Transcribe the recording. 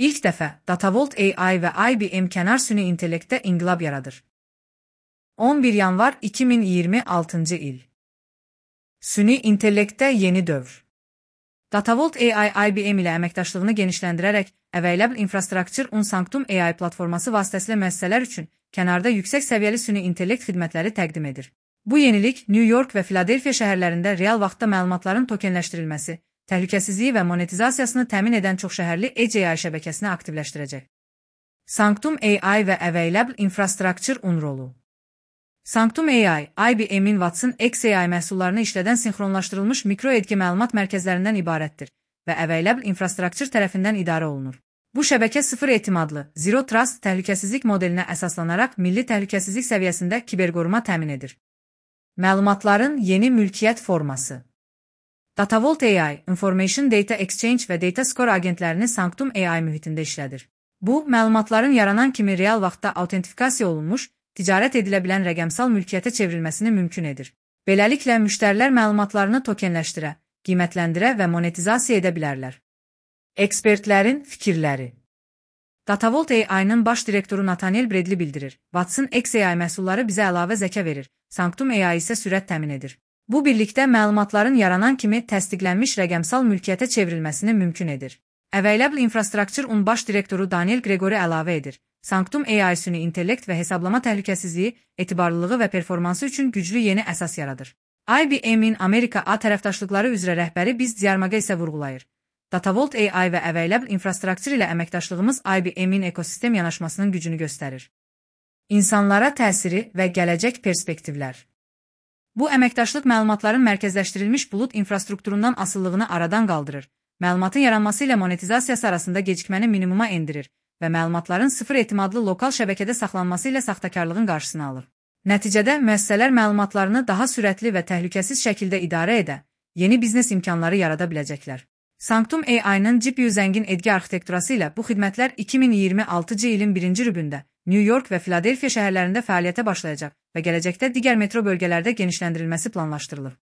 İlk dəfə Datavolt AI və IBM kənar süni intellektdə inqilab yaradır. 11 yanvar 2026 il. Süni intellektdə yeni dövr. Datavolt AI IBM ilə əməkdaşlığını genişləndirərək Available Infrastructure on Sanctum AI platforması vasitəsilə müəssisələr üçün kənarda yüksək səviyyəli süni intellekt xidmətləri təqdim edir. Bu yenilik New York və Filadelfiya şəhərlərində real vaxtda məlumatların tokenləşdirilməsi, təhlükəsizliyi və monetizasiyasını təmin edən çoxşəhərli Edge AI şəbəkəsini aktivləşdirəcək. Sanctum AI və Available Infrastructure on rolu. Sanctum AI, IBM-in Watson XAI məhsullarını işlədən sinxronlaşdırılmış mikroedge məlumat mərkəzlərindən ibarətdir və Available Infrastructure tərəfindən idarə olunur. Bu şəbəkə sıfır etimadlı, Zero Trust təhlükəsizlik modelinə əsaslanaraq milli təhlükəsizlik səviyyəsində kiberqoruma təmin edir. Məlumatların yeni mülkiyyət forması. Datavolt AI, Information Data Exchange və Data Score agentlərini Sanctum AI mühitində işlədir. Bu, məlumatların yaranan kimi real vaxtda autentifikasiya olunmuş, ticarət edilə bilən rəqəmsal mülkiyyətə çevrilməsini mümkün edir. Beləliklə, müştərilər məlumatlarını tokenləşdirə, qiymətləndirə və monetizasiya edə bilərlər. Ekspertlərin fikirləri. Datavolt AI-nın baş direktoru Nathaniel Bradley bildirir, Watson XAI məhsulları bizə əlavə zəka verir, Sanctum AI isə sürət təmin edir. Bu birlikdə məlumatların yaranan kimi təsdiqlənmiş rəqəmsal mülkiyyətə çevrilməsini mümkün edir. Available Infrastructure on baş direktoru Daniel Gregory əlavə edir. Sanctum AI süni intellekt və hesablama təhlükəsizliyi, etibarlılığı və performansı üçün güclü yeni əsas yaradır. IBM-in Amerika A tərəfdaşlıqları üzrə rəhbəri Biz Diyarmaqa isə vurğulayır. Datavolt AI və Available Infrastructure ilə əməkdaşlığımız IBM-in ekosistem yanaşmasının gücünü göstərir. İnsanlara təsiri və gələcək perspektivlər. Bu əməkdaşlıq məlumatların mərkəzləşdirilmiş bulud infrastrukturundan asıllığını aradan qaldırır, məlumatın yaranması ilə monetizasiyası arasında gecikməni minimuma endirir və məlumatların sıfır etimadlı lokal şəbəkədə saxlanması ilə saxtakarlığın qarşısını alır. Nəticədə müəssisələr məlumatlarını daha sürətli və təhlükəsiz şəkildə idarə edə, yeni biznes imkanları yarada biləcəklər. Sanctum AI-nın GPU zəngin edge arxitekturası ilə bu xidmətlər 2026 ilin 1-ci rübündə New York və Filadelfiya şəhərlərində fəaliyyətə başlayacaq və gələcəkdə digər metro bölgələrdə genişləndirilməsi planlaşdırılır.